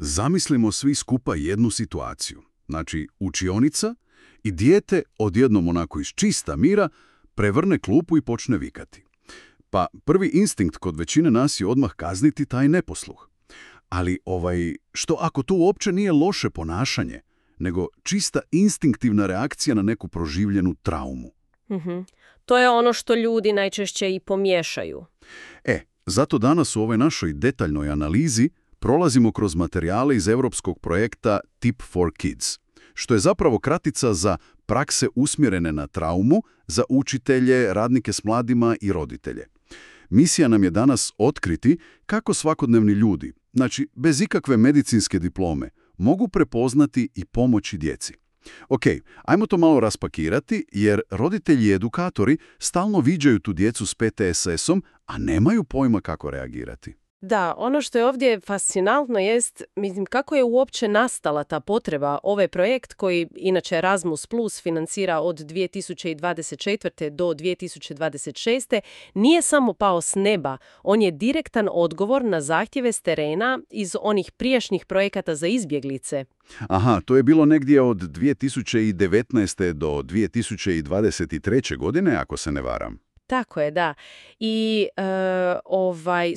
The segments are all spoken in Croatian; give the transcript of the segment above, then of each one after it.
Zamislimo svi skupa jednu situaciju. Znači, učionica i dijete odjednom onako iz čista mira prevrne klupu i počne vikati. Pa prvi instinkt kod većine nas je odmah kazniti taj neposluh. Ali što ako to uopće nije loše ponašanje, nego čista instinktivna reakcija na neku proživljenu traumu? To je ono što ljudi najčešće i pomiješaju. Zato danas u ovoj našoj detaljnoj analizi prolazimo kroz materijale iz europskog projekta Tip for Kids, što je zapravo kratica za prakse usmjerene na traumu za učitelje, radnike s mladima i roditelje. Misija nam je danas otkriti kako svakodnevni ljudi, znači bez ikakve medicinske diplome, mogu prepoznati i pomoći djeci. Ok, ajmo to malo raspakirati, jer roditelji i edukatori stalno viđaju tu djecu s PTSS-om, a nemaju pojma kako reagirati. Da, ono što je ovdje fascinantno jest, kako je uopće nastala ta potreba. Ovaj projekt koji inače Erasmus Plus financira od 2024. do 2026. nije samo pao s neba. On je direktan odgovor na zahtjeve s terena iz onih prijašnjih projekata za izbjeglice. Aha, to je bilo negdje od 2019. do 2023. godine, ako se ne varam. Tako je, da. I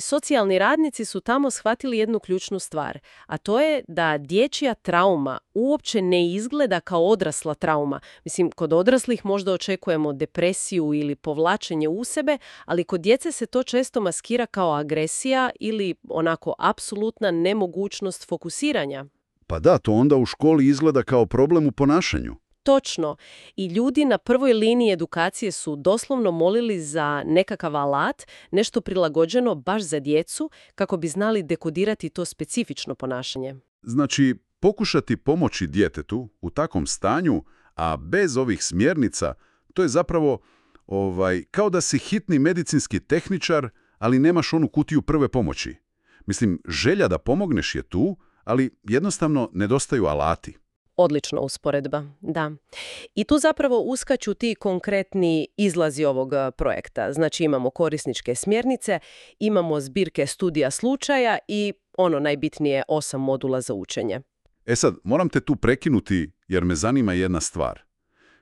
socijalni radnici su tamo shvatili jednu ključnu stvar, a to je da dječja trauma uopće ne izgleda kao odrasla trauma. Kod odraslih možda očekujemo depresiju ili povlačenje u sebe, ali kod djece se to često maskira kao agresija ili onako apsolutna nemogućnost fokusiranja. Pa da, to onda u školi izgleda kao problem u ponašanju. Točno. I ljudi na prvoj liniji edukacije su doslovno molili za nekakav alat, nešto prilagođeno baš za djecu, kako bi znali dekodirati to specifično ponašanje. Znači, pokušati pomoći djetetu u takvom stanju, a bez ovih smjernica, to je zapravo kao da si hitni medicinski tehničar, ali nemaš onu kutiju prve pomoći. Želja da pomogneš je tu, ali jednostavno nedostaju alati. Odlična usporedba, da. I tu zapravo uskaču ti konkretni izlazi ovog projekta. Znači imamo korisničke smjernice, imamo zbirke studija slučaja i najbitnije 8 modula za učenje. Sad, moram te tu prekinuti jer me zanima jedna stvar.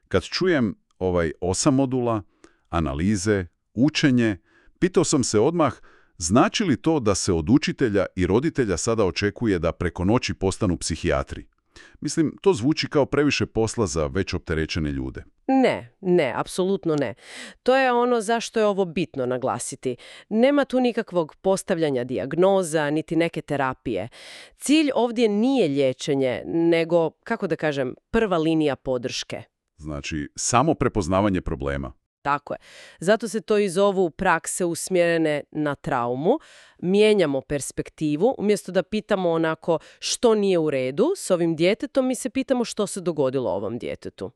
Kad čujem 8 modula, analize, učenje, pitao sam se odmah znači li to da se od učitelja i roditelja sada očekuje da preko noći postanu psihijatri? To zvuči kao previše posla za već opterećene ljude. Ne, apsolutno ne. To je ono zašto je ovo bitno naglasiti. Nema tu nikakvog postavljanja dijagnoza, niti neke terapije. Cilj ovdje nije liječenje, nego, prva linija podrške. Znači, samo prepoznavanje problema. Tako je. Zato se to i zovu prakse usmjerene na traumu. Mijenjamo perspektivu. Umjesto da pitamo onako što nije u redu s ovim djetetom, mi se pitamo što se dogodilo ovom djetetu.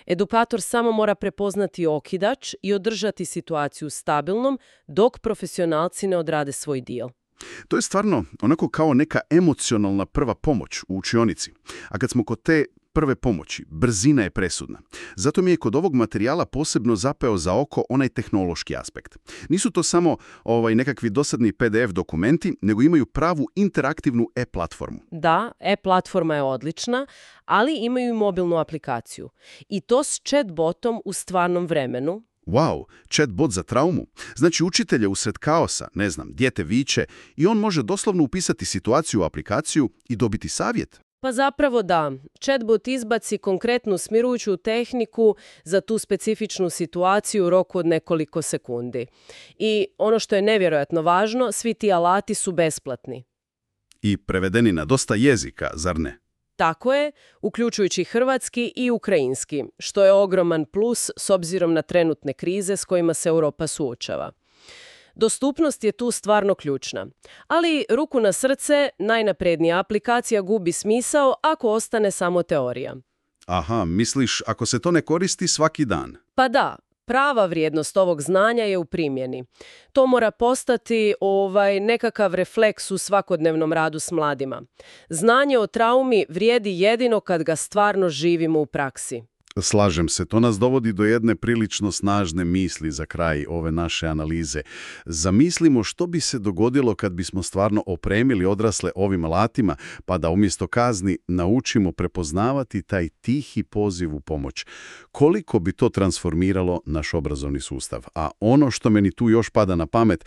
Edukator samo mora prepoznati okidač i održati situaciju stabilnom dok profesionalci ne odrade svoj dio. To je stvarno onako kao neka emocionalna prva pomoć u učionici. A kad smo kod te prve pomoći, brzina je presudna. Zato mi je kod ovog materijala posebno zapeo za oko onaj tehnološki aspekt. Nisu to samo nekakvi dosadni PDF dokumenti, nego imaju pravu interaktivnu e-platformu. Da, e-platforma je odlična, ali imaju i mobilnu aplikaciju. I to s chatbotom u stvarnom vremenu. Wow, chatbot za traumu. Znači učitelj je usred kaosa, dijete viče i on može doslovno upisati situaciju u aplikaciju i dobiti savjet. Pa zapravo da. Chatbot izbaci konkretnu smirujuću tehniku za tu specifičnu situaciju u roku od nekoliko sekundi. I ono što je nevjerojatno važno, svi ti alati su besplatni. I prevedeni na dosta jezika, zar ne? Tako je, uključujući hrvatski i ukrajinski, što je ogroman plus s obzirom na trenutne krize s kojima se Europa suočava. Dostupnost je tu stvarno ključna. Ali, ruku na srce, najnaprednija aplikacija gubi smisao ako ostane samo teorija. Aha, misliš ako se to ne koristi svaki dan? Pa da, prava vrijednost ovog znanja je u primjeni. To mora postati nekakav refleks u svakodnevnom radu s mladima. Znanje o traumi vrijedi jedino kad ga stvarno živimo u praksi. Slažem se, to nas dovodi do jedne prilično snažne misli za kraj ove naše analize. Zamislimo što bi se dogodilo kad bismo stvarno opremili odrasle ovim alatima, pa da umjesto kazni naučimo prepoznavati taj tihi poziv u pomoć. Koliko bi to transformiralo naš obrazovni sustav? A ono što meni tu još pada na pamet,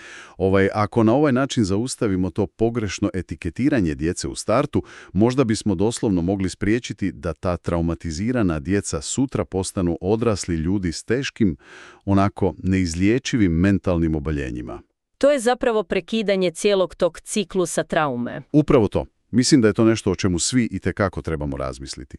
ako na ovaj način zaustavimo to pogrešno etiketiranje djece u startu, možda bismo doslovno mogli spriječiti da ta traumatizirana djeca sutra postanu odrasli ljudi s teškim, onako neizliječivim mentalnim oboljenjima. To je zapravo prekidanje cijelog tog ciklusa traume. Upravo to. Mislim da je to nešto o čemu svi itekako trebamo razmisliti.